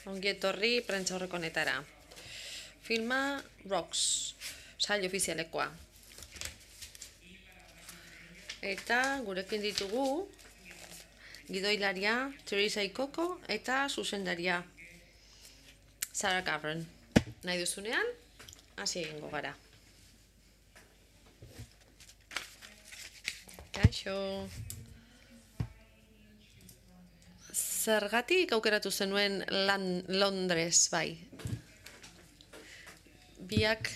Ongi etorri prentsa horrekonetara. Filma Rocks, sail ofizialekoa. Eta gurekin ditugu gidoilaria Teresa Ikoko eta zuzendaria Sarah Gavran. Nahi duzunean, hasi egingo gara. Kaixo. Zergatik aukeratu zenuen Londres, bai? Biak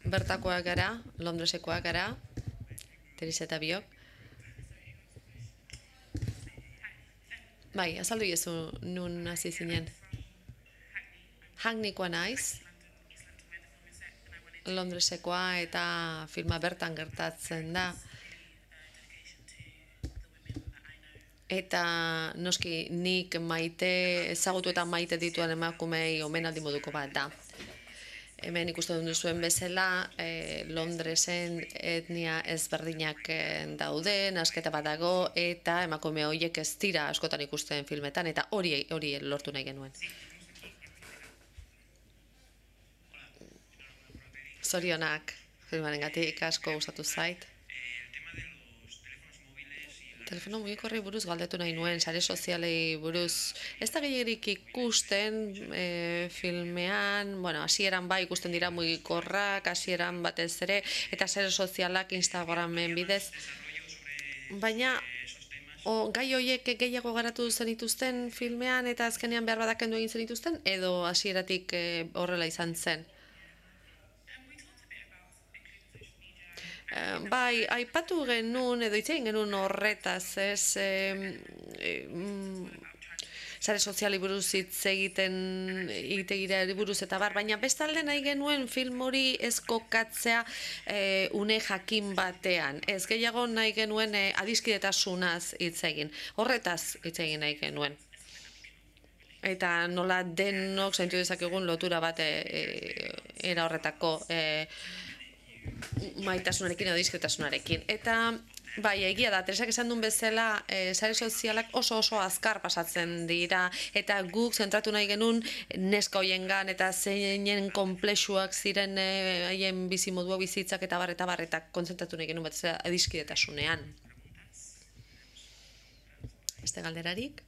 bertakoak gara, Londresekoak gara, Teresa eta biok. Bai, azaldu iezu nun hasi zinen. Hackneykoa naiz, Londresekoa eta filma bertan gertatzen da. Eta noski nik ezagutu eta maite dituen emakumei omenaldi moduko bat da. Hemen ikusten duzuen bezala, Londresen etnia ezberdinak daude, nasketa bat dago, eta emakume horiek ez dira askotan ikusten filmetan, eta hori lortu nahi genuen. Zorionak, filmarengatik asko gustatu zait. Telefono mugikorrei buruz galdetu nahi nuen, sare sozialei buruz. Ez da gehierik ikusten filmean, hasieran bai ikusten dira mugikorrak, hasieran batez ere, eta sare sozialak Instagramen bidez. Baina, gai horiek gehiago garatu zenituzten filmean eta azkenean behar badakendu egin zenituzten, edo hasieratik horrela izan zen? Bai, aipatu genuen, edo hitz egin genuen horretaz, ez, sare soziali buruz hitz egitegira buruz eta bar, baina bestalde nahi genuen film hori ez kokatzea une jakin batean. Ez gehiago nahi genuen adiskidetasunaz hitz egin. Horretaz hitz egin nahi genuen. Eta nola denok zaintu dezakegun lotura bat era horretako maitasunarekin edo diskretazunarekin. Eta bai, egia da, Teresak esan duen bezala, sare sozialak oso azkar pasatzen dira, eta guk zentratu nahi genuen neska hoiengan eta zeinen konplexuak ziren haien bizimodua bizitzak eta bar, eta kontzentratu nahi genuen bat adiskidetasunean. Beste galderarik?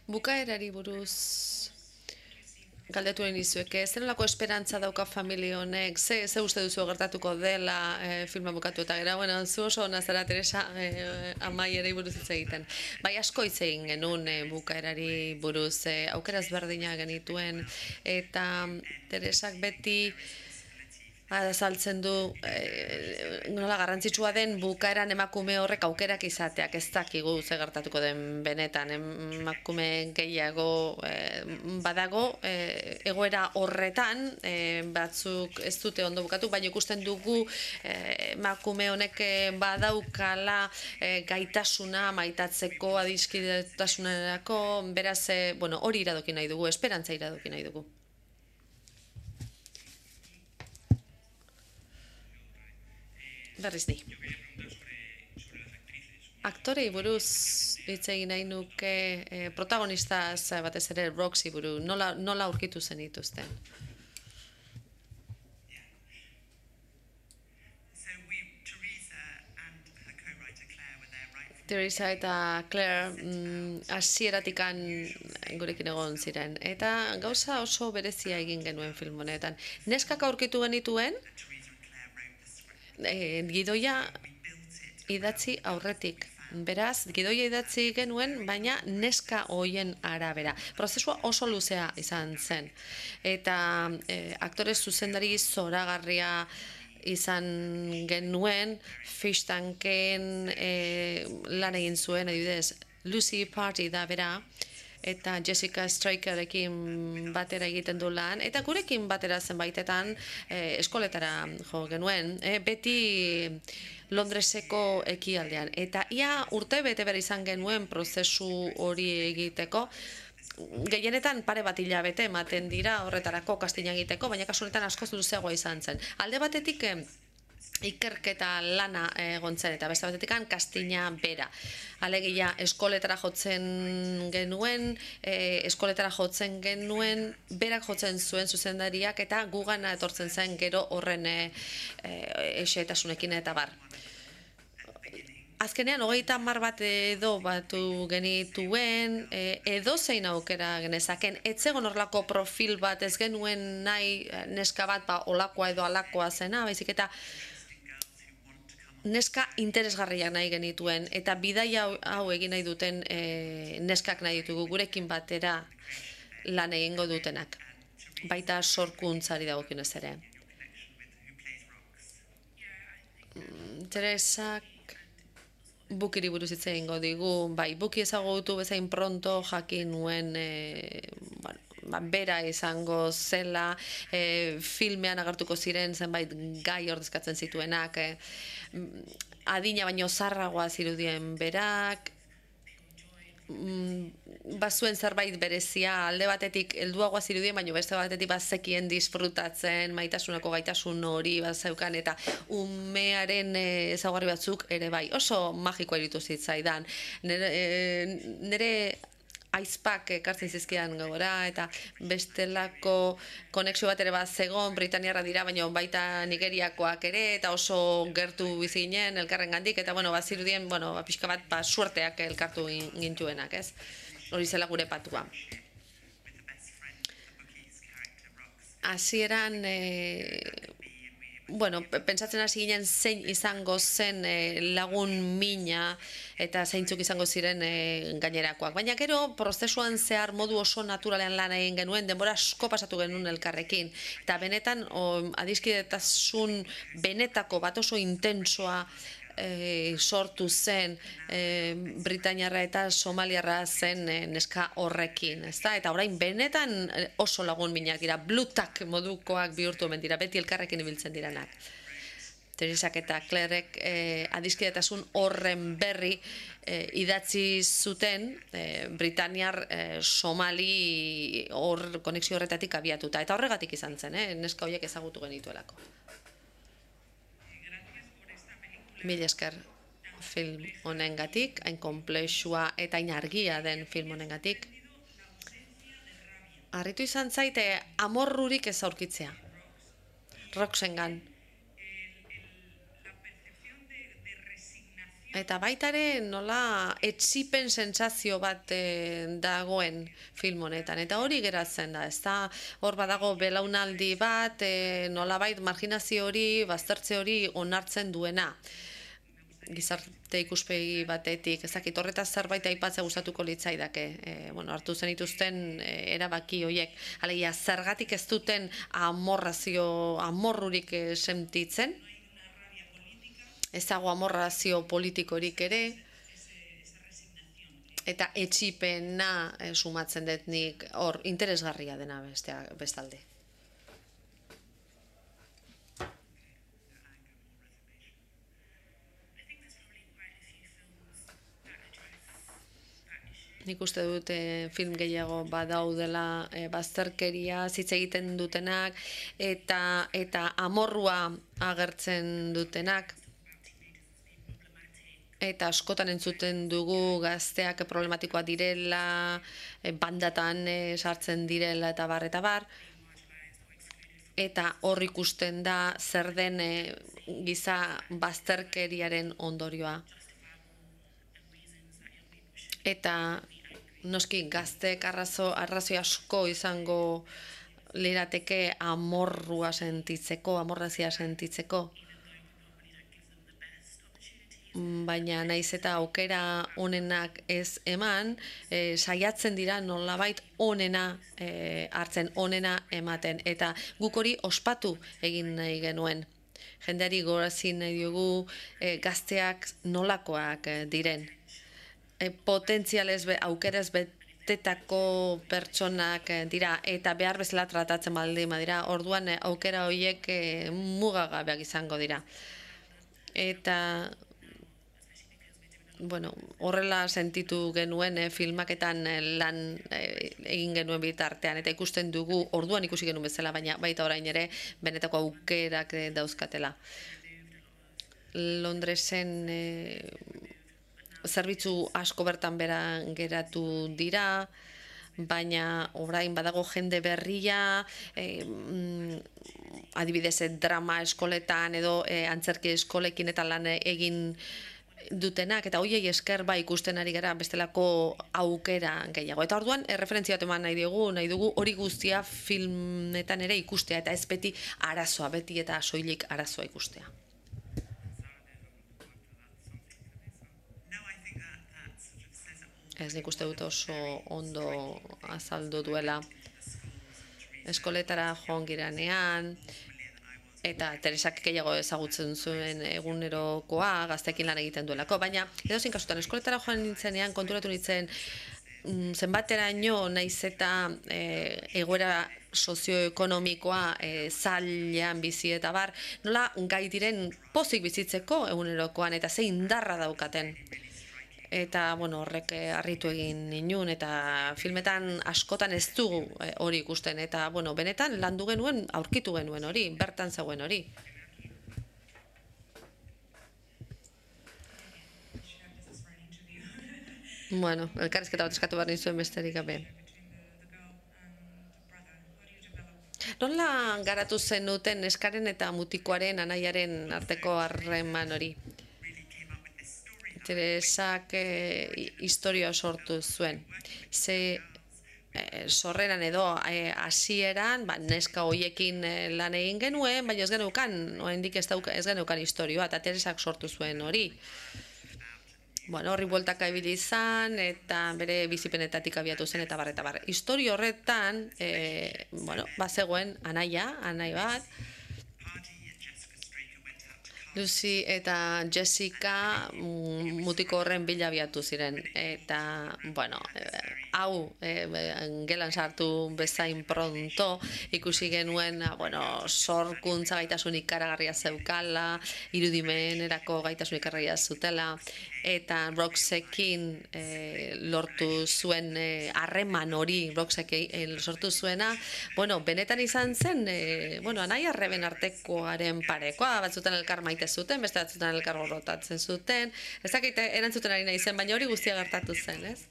Bukaerari buruz galdetu egin dizueke, zer nolako esperantza dauka familia honek, ze uste duzu gertatuko dela filma bukatu eta gero, zu oso ona zara Teresa amaierei buruz hitz egiten. Bai, asko hitz egin genuen bukaerari buruz, aukera ezberdinak genituen, eta Teresak beti azaltzen du nola garrantzitsua den bukaeran emakume horrek aukerak izateak, ez dakigu ze gertatuko den benetan, emakume gehiago badago egoera horretan, batzuk ez dute ondo bukatu, baina ikusten dugu emakume honek badaukala gaitasuna maitatzeko, adiskidetasunerako, beraz hori iradoki nahi dugu, esperantza iradoki nahi dugu. Berriz di. Aktorei buruz hitz egin nahi nuke protagonistaz batez ere Roxy buruz, nola aurkitu zen dituzten? Teresa eta Claire hasieratikan gurekin egon ziren. Eta gauza oso berezia egin genuen film honetan. Neskak aurkitu genituen, gidoia idatzi aurretik. Beraz, gidoia idatzi genuen, baina neska hoien arabera. Prozesua oso luzea izan zen. Eta aktore zuzendari zoragarria izan genuen, Fish Tanken lan egin zuen, adibidez, Lucy Party da bera, eta Jessica Strakerekin batera egiten du lan, eta gurekin batera zenbaitetan eskoletara jo genuen, beti Londreseko ekialdean. Eta ia urte bete behar izan genuen prozesu hori egiteko, gehienetan pare bat hilabete ematen dira horretarako kastina egiteko, baina kasu honetan askoz luzeagoa izan zen. Alde batetik ikerketa lana egon zen, eta beste batetik kastina bera. Alegia, eskoletara jotzen genuen, berak jotzen zuen zuzendariak, eta gugana etortzen zen gero horren esetasunekin eta bar. Azkenean, 30 bat edo batu genituen, edo zein aukera genezaken, etzegon horlako profil bat ez genuen nahi neska bat olakoa edo alakoa zena, baizik eta neska interesgarriak nahi genituen, eta bidaia hau egin nahi duten neskak nahi ditugu, gurekin batera lan egingo dutenak, baita sorkuntzari dagokionez ere. Teresak Bukiri buruz hitz egingo digu, bai, Buki ezagutu bezain pronto jakin nuen bera izango zela, filmean agertuko ziren zenbait gai ordezkatzen zituenak, adina baino zarragoa zirudien berak, bazuen zerbait berezia, alde batetik helduagoa zirudien, baina beste batetik bazekien disfrutatzen, maitasunako gaitasun hori bazeukan, eta umearen ezaugarri batzuk ere bai, oso magikoa iruditu zitzaidan. Nere aizpak ekartzen zizkidan gogora, eta bestelako konexio bat ere bat zegon, Britaniarra dira, baina baita Nigeriakoak ere, eta oso gertu bizi ginen elkarren gandik, eta bazirudien, pixka bat suerteak elkartu gintuenak, ez? Hori zela gure patua. Hasieran, pentsatzen hasi ginen zein izango zen lagun mina eta zeintzuk izango ziren gainerakoak. Baina gero, prozesuan zehar modu oso naturalean lan egin genuen, denbora asko pasatu genuen elkarrekin. Eta benetan, adiskidetasun benetako bat oso intensoa sortu zen Britainiarra eta Somaliarra zen neska horrekin, ezta? Eta orain benetan oso lagun minak dira, blutak modukoak bihurtu omen dira, beti elkarrekin ibiltzen diranak. Teresak eta Clairek adiskidetasun horren berri idatzi zuten Britaniar Somali konexio horretatik abiatuta, eta horregatik izan zen, neska horiek ezagutu genituelako. Mil esker film honengatik, hain konplexua eta hain argia den film honengatik. Harritu izan zaite amorrurik ez aurkitzea. Roxengan. Eta baitare nola etsipen sentsazio bat dagoen film honetan. Eta hori geratzen da, ezta hor badago belaunaldi bat, nolabait marginazio hori, baztertze hori onartzen duena. Gizarte ikuspegi batetik, ezakit horretaz zerbait aipatzea gustatuko litzaidake, hartu zen dituzten erabaki horiek, alegia zergatik ez duten amorrurik sentitzen, ez dago amorrazio politikorik ere, eta etxipena sumatzen dut nik hor interesgarria dena bestalde. Nik uste dut film gehiago badaudela bazterkeria hitz egiten dutenak eta amorrua agertzen dutenak. Eta askotan entzuten dugu gazteak problematikoa direla, bandatan sartzen direla eta bar. Eta hor ikusten da zer den giza bazterkeriaren ondorioa. Eta noski gazteek arrazoi asko izango lirateke amorrazia sentitzeko. Baina naiz eta aukera onenak ez eman, saiatzen dira nolabait onena hartzen, onena ematen. Eta guk hori ospatu egin nahi genuen. Jendeari gogorazi nahi diogu gazteak nolakoak diren. Potentzialez aukeraz betetako pertsonak dira eta behar bezala tratatzen baldin badira, orduan aukera horiek mugagabeak izango dira. Eta horrela sentitu genuen filmaketan lan egin genuen bitartean, eta ikusten dugu, orduan ikusi genuen bezala, baina baita orain ere, benetako aukerak dauzkatela. Londresen zerbitzu asko bertan bera geratu dira, baina orain badago jende berria, adibidez drama eskoletan edo antzerki eskolekin eta lan egin dutenak, eta hoiei esker ikusten ari gara bestelako aukera gehiago. Eta orduan, referentzia bat eman nahi dugu hori guztia filmetan ere ikustea, eta ez beti arazoa, beti eta soilik arazoa ikustea. Ez nik uste dut oso ondo azaldu duela. Eskoletara joan giranean, eta Teresak gehiago ezagutzen zuen egunerokoa, gazteekin lan egiten duelako, baina edozein kasutan eskoletara joan nintzenean konturatu nintzen zenbateraino naiz eta egoera sozioekonomikoa zailean bizi eta bar, nola gai diren pozik bizitzeko egunerokoan eta ze indarra daukaten. Eta, horrek harritu egin ninun, eta filmetan askotan ez dugu hori ikusten, eta, benetan landu genuen, aurkitu genuen hori, bertan zegoen hori. Elkarrizketa bat eskatu behar nizuen besterik gabe. Nola garatu zenuten neskaren eta mutikoaren anaiaren arteko harreman hori? Teresak historia sortu zuen. Ze sorreran edo hasieran neska hoiekin lan egin genuen, baina ez geneukan, oraindik ez geneukan historioa, eta Teresak sortu zuen hori. Horri bueltaka ibili izan, eta bere bizipenetatik abiatu zen, eta bar. Historio horretan, bazegoen anai bat, Lucy eta Jessica mutiko horren bila abiatu ziren, eta, hau gelan sartu bezain pronto, ikusi genuen, sorkuntza gaitasun ikaragarria zeukala, irudimenerako gaitasun ikaragarria zutela, eta Roxekin lortu zuen harreman hori, Roxekin sortu zuena, benetan izan zen, anai arreben artekoaren parekoa, batzutan elkar maite zuten, beste batzutan elkar gorrotatzen zuten, ez dakite erantzuten ari nahi zen, baina hori guztia gertatu zen, ez?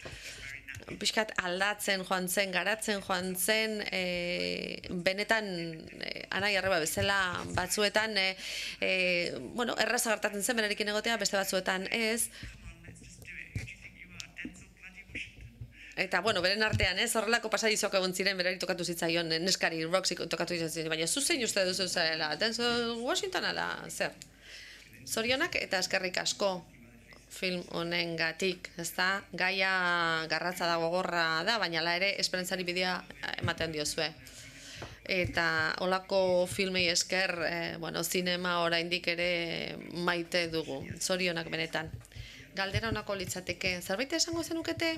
Pixkat aldatzen joan zen, garatzen joan zen, benetan anai arreba bezala batzuetan, erraza gertatzen zen, berarekin egotea, beste batzuetan ez. Eta, beren artean, horrelako pasadizok egon ziren, berari tokatu zitzaion, neskari, Roxy tokatu zitzaion, baina zuzein uste duzu zela, Denzel Washington ala, zer? Zorionak eta eskerrik asko film honengatik, ezta? Gaia garratza da, gogorra da, baina la ere esperantzari bidea ematen diozue. Eta holako filmei esker, zinema oraindik ere maite dugu, zorionak benetan. Galdera honako litzateke, zerbait esango zenukete?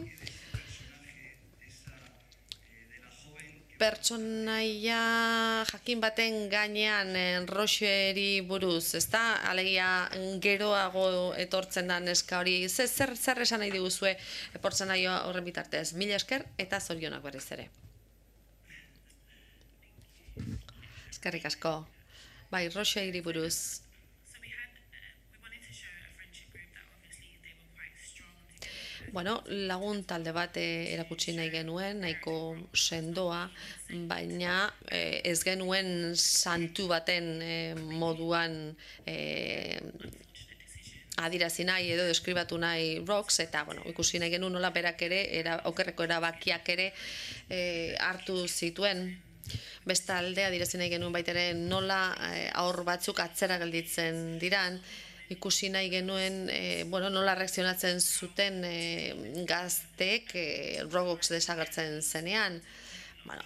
Pertsonaia jakin baten gainean Roxeri buruz, ezta? Alegia geroago etortzen da neska hori. Zer esan nahi diguzue pertsonaia horren bitartez? Mila esker eta zorionak berriz ere. Eskerrik asko. Bai, Roxeri buruz. Lagun talde bat erakutsi nahi genuen, nahiko sendoa, baina ez genuen santu baten moduan adirazi nahi edo deskribatu nahi Rox, eta ikusi nahi genuen nola berak ere, okerreko erabakiak ere hartu zituen. Bestalde adirazi nahi genuen baitere nola aur batzuk atzera gelditzen diran, ikusi nahi genuen nola reakzionatzen zuten gazteek Rogox desagertzen zenean.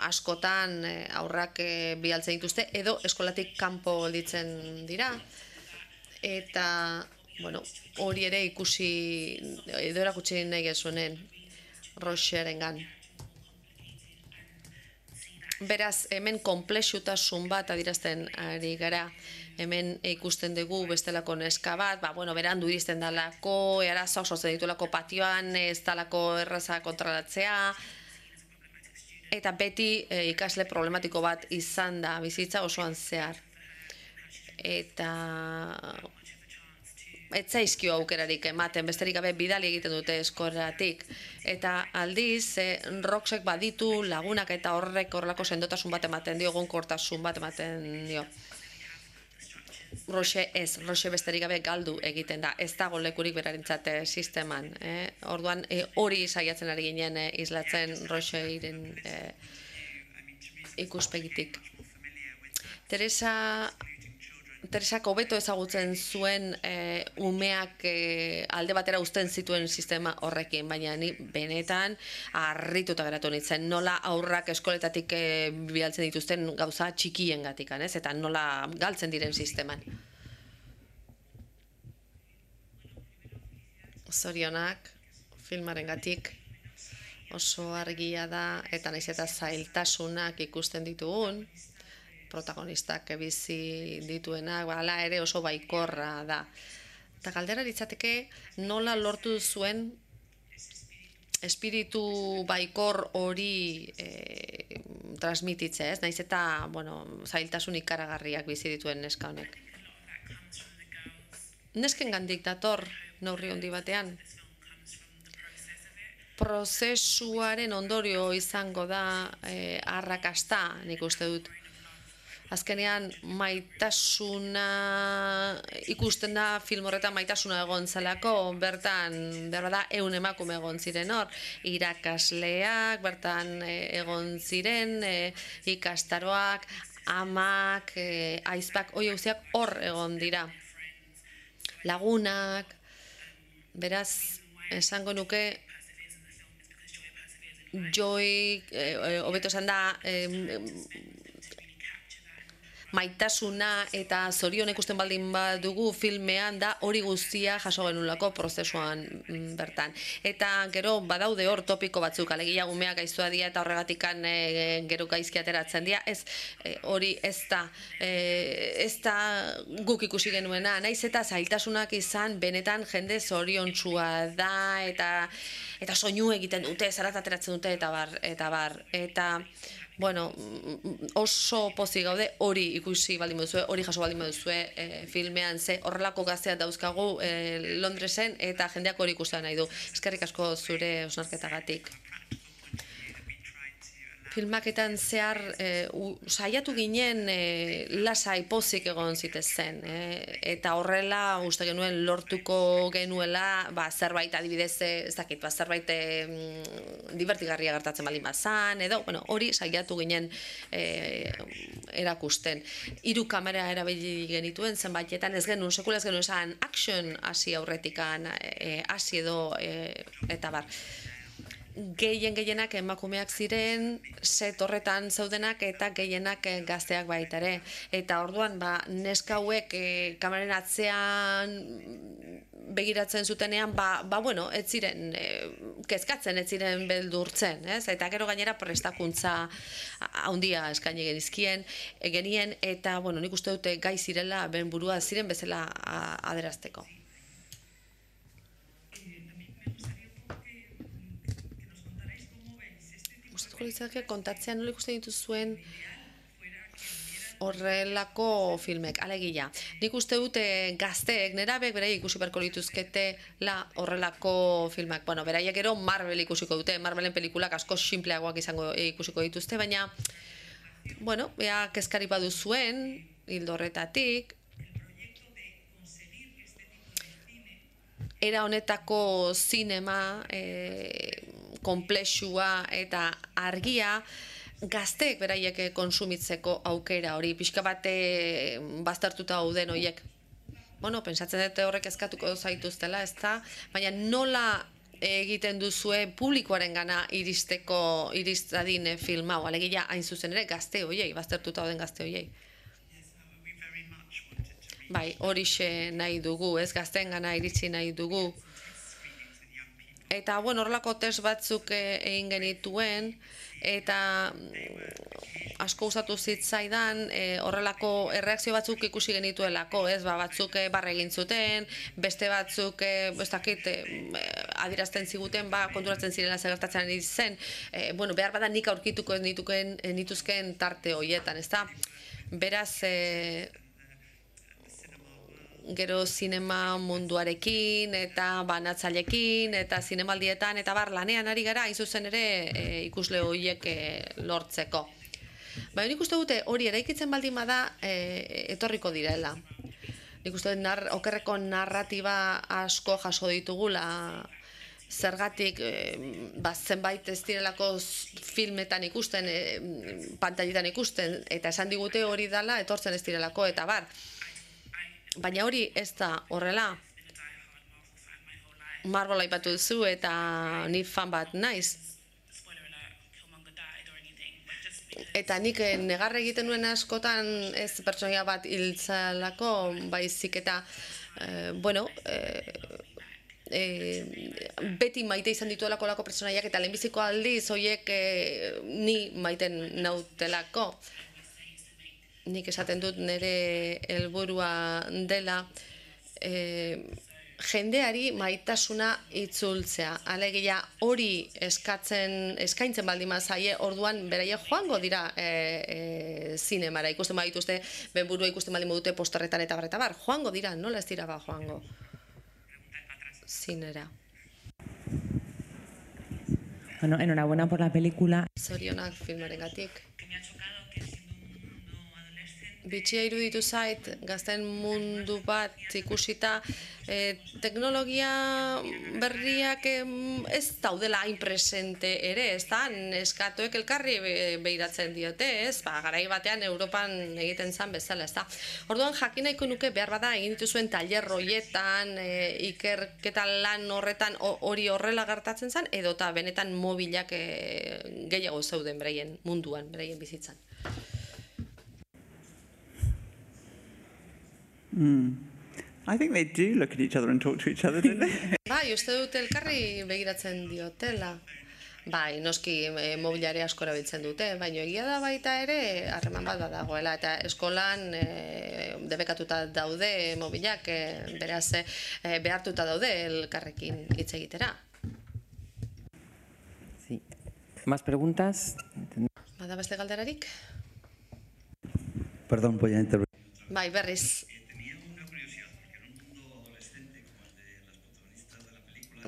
Askotan aurrak bialtzen dituzte edo eskolatik kanpo gelditzen dira. Eta hori ere ikusi edo erakutsi nahi gezuenen Roxerengan. Beraz, hemen konplexutasun bat adierazten ari gara. Hemen ikusten dugu bestelako neska bat, berandu iristen dalako, arazoak sortzen ditulako patioan, ez dalako erraza kontrolatzea, eta beti ikasle problematiko bat izan da bizitza osoan zehar. Eta ez zaizkio aukerarik ematen, besterik gabe bidali egiten dute eskoratik. Eta aldiz, Roxek baditu lagunak eta horrelako sendotasun bat ematen dio, egonkortasun bat ematen dio. Roxe besterik gabe galdu egiten da, ez dago lekurik berarentzat sisteman. Orduan, hori saiatzen ari ginen islatzen Roxeiren ikuspegitik. Teresak hobeto ezagutzen zuen umeak alde batera uzten zituen sistema horrekin, baina ni benetan harrituta geratu nintzen, nola aurrak eskoletatik bialtzen dituzten gauza txikiengatik, eta nola galtzen diren sisteman. Zorionak, filmarengatik oso argia da, eta naiz eta zailtasunak ikusten ditugun, protagonistak bizi dituenak, hala ere oso baikorra da. Eta galdera litzateke nola lortu zuen espiritu baikor hori transmititzea, ez? Naiz eta, zailtasun ikaragarriak bizi dituen neska honek. Neskengandik dator neurri handi batean. Prozesuaren ondorio izango da arrakasta, nik uste dut. Azkenean maitasuna ikusten da film horretan maitasuna egon zelako, bertan berbada 100 emakume egon ziren hor, irakasleak bertan egon ziren, ikastaroak, amak, aizpak, hoi guztiak hor egon dira. Lagunak, beraz, esango nuke, Joy, hobeto esan da, maitasuna eta zorion ikusten baldin badugu filmean da hori guztia jaso genulako prozesuan bertan. Eta gero badaude hor topiko batzuk, alegia umeak gaiztua dira eta horregatikan gero gaizki ateratzen dira, hori ez da guk ikusi genuena, naiz eta zailtasunak izan benetan jende zoriontsua da eta soinu egiten dute, zarat ateratzen dute eta bar. Eta oso pozik gaude hori ikusi baldin baduzue, hori jaso baldin baduzue filmean, ze horrelako gazteak dauzkagu Londresen eta jendeak hori ikustea nahi du. Eskerrik asko zure hausnarketagatik. Filmaketan zehar saiatu ginen lasai pozik egon zitezen, eta horrela uste genuen lortuko genuela zerbait adibidez, ez dakit, zerbait divertigarria gertatzen baldin bazan, edo hori saiatu ginen erakusten. 3 kamera erabili genituen zenbaitetan, ez genuen sekula ez genuen esan action hasi aurretikan, hasi edo eta bar. Gehienak emakumeak ziren, set horretan zeudenak eta gehienak gazteak baita ere. Eta orduan, neska hauek kameraren atzean begiratzen zutenean, ez ziren kezkatzen, ez ziren beldurtzen, ez? Eta gero gainera prestakuntza handia eskaini genien, eta nik uste dute gai zirela, ben burua ziren bezala adierazteko. Kontatzea nola ikusten dituzuen horrelako filmek, alegia. Nik uste dute gazteek, nerabek berai ikusi beharko lituzketela horrelako filmak. Beraiek gero Marvel ikusiko dute, Marvelen pelikulak asko sinpleagoak izango ikusiko dituzte, baina, ea kezkari badu zuen, hildo horretatik, era honetako zinema, konplexua eta argia gazteek beraiek konsumitzeko aukera hori, pixka bate baztertuta dauden horiek. Pentsatzen dute horrek eskatuko zaituztela, ez da? Baina nola egiten duzue publikoaren gana iristadin film hau, alegia hain zuzen ere gazte horiei, baztertuta dauden gazte horiei. Bai, horixe nahi dugu, ez gazteen gana iritsi nahi dugu. Eta, bueno, horrelako test batzuk egin genituen, eta asko gustatu zitzaidan horrelako erreakzio batzuk ikusi genituelako, ez, batzuk barre egin zuten, beste batzuk, ez dakit, adierazten ziguten, konturatzen zirela zer gertatzen ari zen, bueno, behar bada nik aurkituko ez nituzkeen tarte horietan, ez da? Beraz, gero zinema munduarekin eta banatzailekin eta zinemaldietan eta lanean ari gara hain zuzen ere ikusle horiek lortzeko. Baina nik uste dute hori eraikitzen baldin bada etorriko direla. Nik uste dut okerreko narratiba asko jaso ditugula, zergatik zenbait ez direlako filmetan ikusten, pantailetan ikusten, eta esan digute hori dela etortzen ez direlako, eta bar. Baina hori ez da horrela. Marvel aipatu duzu eta ni fan bat naiz. Eta nik negarre egiten nuen askotan ez pertsonaia bat hiltzalako, baizik eta, bueno, beti maite izan dituelako lako pertsonaiak eta lehenbiziko aldiz horiek ni maiten nautelako. Nik esaten dut nire helburua dela jendeari maitasuna itzultzea. Alegia hori eskaintzen baldin zaie, orduan beraie joango dira zinemara. Ikusten badituzte, benburua ikusten baldin dute posterretan eta bar, joango dira, nola ez dira joango zinera. Bueno, enhorabuena por la película. Zorionak filmarengatik. Bitxia iruditu zait, gazten mundu bat ikusita, teknologia berriak ez daudela hain presente ere, ez da, neskatoek elkarri behiratzen diote, ez, garai batean Europan egiten zan bezala, ez da. Orduan jakin nahiko nuke behar bada egin dituzuen tailer horietan, ikerketa lan horretan hori horrela gertatzen zan, edota benetan mobilak gehiago zeuden beraien munduan, beraien bizitzan. I think they do look at each other and talk to each other, don't they? Bai, uste dut elkarri begiratzen diotela. Bai, noski mobiliare asko erabiltzen dute, baina egia da baita ere harreman bat badagoela, eta eskolan debekatuta daude mobilak, beraz behartuta daude elkarrekin hitz egitera. Sí. ¿Más preguntas? Bada beste galderarik? Perdón, voy a intervenir. Bai, berriz.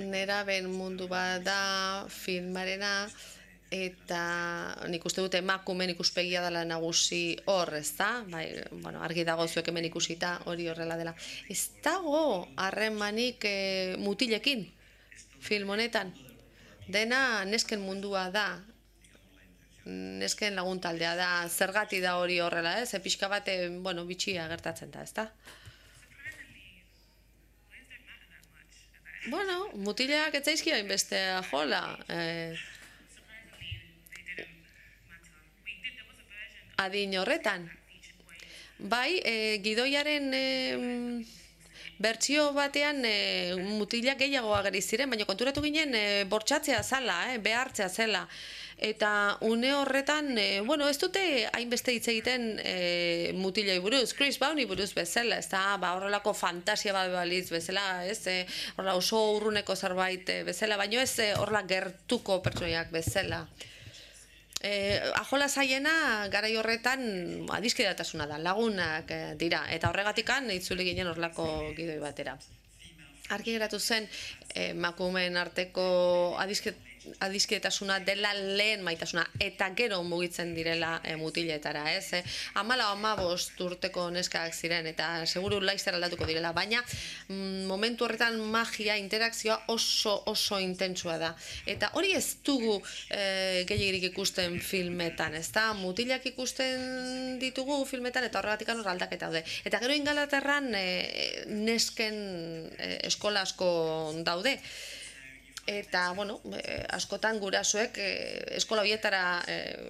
Neraben mundu bat da filmarena, eta nik uste dute emakumeen ikuspegia dela nagusi hor, ez da? Bai, bueno, argi dago zuek hemen ikusita hori horrela dela. Ez dago harremanik mutilekin film honetan. Dena nesken mundua da, nesken laguntaldea da, zergati da hori horrela, ez? Pixka bat, bueno, bitxia gertatzen da, ez da? Bueno, mutileak etzaizki hainbeste jola. Adin horretan. Bai, gidoiaren bertsio batean mutilak gehiago ageri ziren, baina konturatu ginen bortxatzea zela, behartzea zela. Eta une horretan, bueno, ez dute hainbeste hitz egiten mutilei buruz, Chris Bowney buruz bezala, ez da, horrelako fantasia bat balitz bezala, ez, horrela oso urruneko zerbait bezala, baina ez horrela gertuko pertsoniak bezala. Ajola zaiena garai horretan adiskidetasuna da, lagunak dira, eta horregatikan itzuli ginen horrelako gidoi batera. Argi geratu zen, emakumeen arteko adiskidetasuna dela lehen maitasuna, eta gero mugitzen direla mutiletara, ez? 14-15 urteko neskak ziren, eta seguru laizzer aldatuko direla, baina momentu horretan magia, interakzioa oso intentsua da. Eta hori ez dugu gehiegirik ikusten filmetan, ez da? Mutilak ikusten ditugu filmetan, eta horregatik hor aldaketa daude. Eta gero Ingalaterran nesken eskola asko daude. Eta, bueno, askotan gurasoek eskola horietara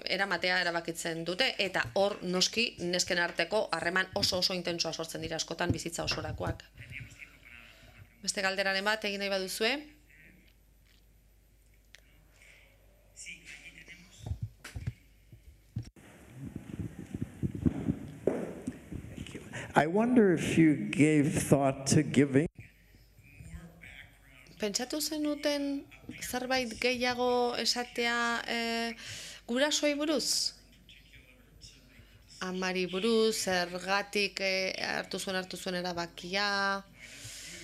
eramatea erabakitzen dute, eta hor noski nesken arteko harreman oso intentsua sortzen dira askotan bizitza osorakoak. Beste galderaren bat egin nahi baduzue? I wonder if you gave thought to giving Pentsatu zenuten zerbait gehiago esatea gurasoei buruz? Amari buruz, zergatik hartu zuen erabakia,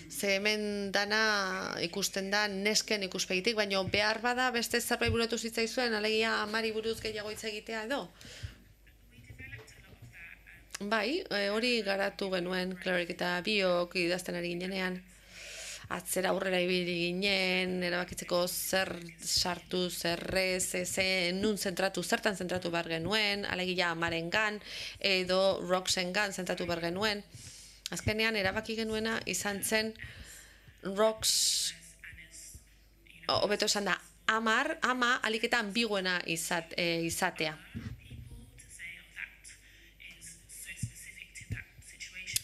ze hemen dana ikusten da nesken ikuspegitik, baina behar bada beste zerbait buratu zitzaizuen, alegia amari buruz gehiago hitz egitea edo? Bai, hori garatu genuen, Clarek eta biok idazten ari ginenean. Atzera aurrera ibili ginen, erabakitzeko zer sartu, zer ez, nun zentratu, zertan zentratu behar genuen, alegia amarengan edo Roxengan zentratu behar genuen. Azkenean erabaki genuena izan zen Rox, hobeto esan da, ama aliketa ambiguena izatea.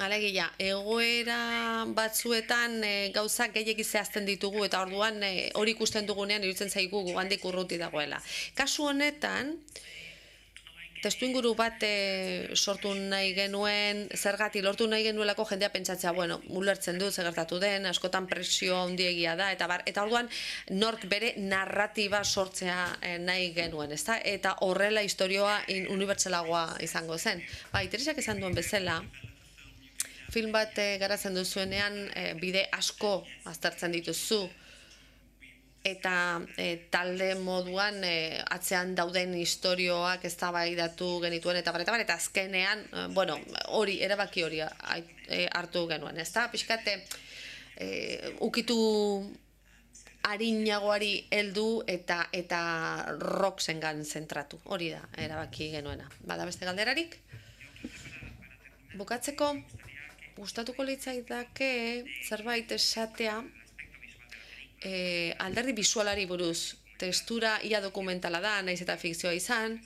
Alegia, egoera batzuetan gauzak gehiegi zehazten ditugu eta orduan hori ikusten dugunean iruditzen zaigu handik urruti dagoela. Kasu honetan, testuinguru bat sortu nahi genuen, zergatik lortu nahi genuelako jendea pentsatzea, bueno, ulertzen dut zer gertatu den, askotan presio handiegia da, eta orduan nork bere narratiba sortzea nahi genuen, ezta? Eta horrela istorioa unibertsalagoa izango zen. Bai, Teresak esan duen bezala, film bat garatzen duzuenean bide asko aztertzen dituzu eta talde moduan atzean dauden istorioak eztabaidatu genituen eta eta azkenean, bueno, hori erabaki hori hartu genuen, ezta? Pixkate ukitu arinagoari heldu eta Roxengan zentratu. Hori da erabaki genuena. Bada beste galderarik? Bukatzeko gustatuko litzaidake zerbait esatea alderdi bisualari buruz. Testura ia dokumentala da, naiz eta fikzioa izan,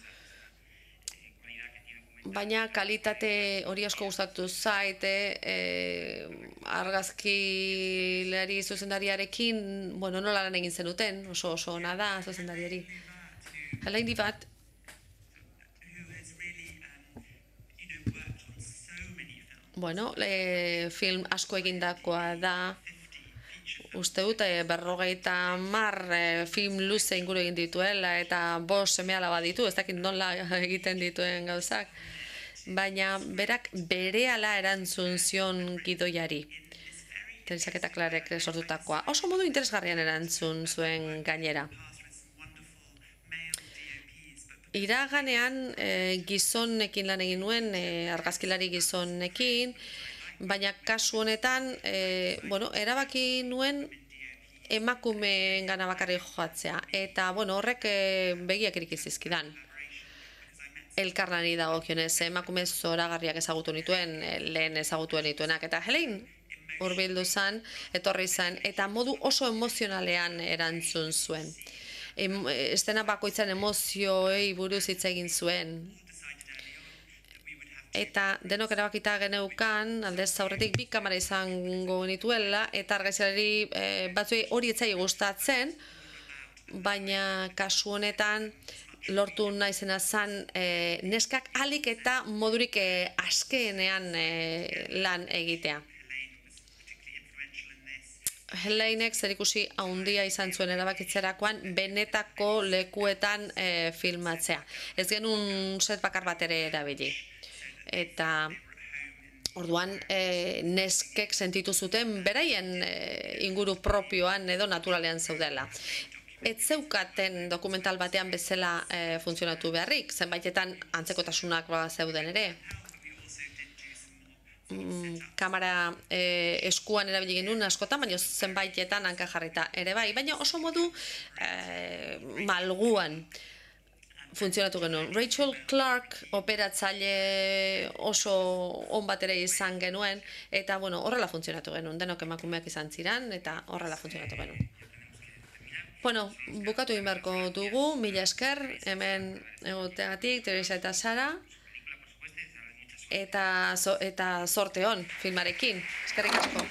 baina kalitate hori asko gustatu zait, argazkilari zuzendariarekin, bueno, nola lan egin zenuten, oso ona da zuzendariari. Hala indi bat, bueno, film asko egindakoa da, uste dut, 50 film luze inguru egin dituela, eta 5 seme-alaba ditu, ez dakit nola egiten dituen gauzak, baina berak berehala erantzun zion gidoiari. Teresak eta Clarek sortutakoa. Oso modu interesgarrian erantzun zuen gainera. Iraganean gizonekin lan egin nuen, argazkilari gizonekin, baina kasu honetan, erabaki nuen emakumeen gana bakarrik joatzea. Eta, horrek begiak irikizizkidan. Elkarlani dagokionez, emakume zoragarriak ezagutu nituen, lehen ezagutu nituenak. Eta Helein hurbildu zen, etorri zen, eta modu oso emozionalean erantzun zuen. Estena bakoitzan emozioei buruz hitz egin zuen. Eta denok erabakita geneukan, aldez aurretik 2 kamera izango nituela, eta argazkilari batzuei hori ez zaie gustatzen, baina kasu honetan lortu naizena zen neskak ahalik eta modurik askeenean lan egitea. Heleinek zerikusi handia izan zuen erabakitzerakoan benetako lekuetan filmatzea. Ez genuen set bakar bat ere erabili. Eta orduan neskek sentitu zuten beraien inguru propioan edo naturalean zeudela. Ez zeukaten dokumental batean bezala funtzionatu beharrik, zenbaitetan antzekotasunak zeuden ere. Kamera eskuan erabili genuen askotan, baina zenbaitetan hanka jarrita ere bai, baina oso modu malguan funtzionatu genuen. Rachel Clark operatzaile oso on bat ere izan genuen, eta horrela funtzionatu genuen, denok emakumeak izan ziren, eta horrela funtzionatu genuen. Bukatu egin beharko dugu, mila esker, hemen egoteagatik, Teresa eta Sara, eta zorte on filmarekin. Eskerrik asko.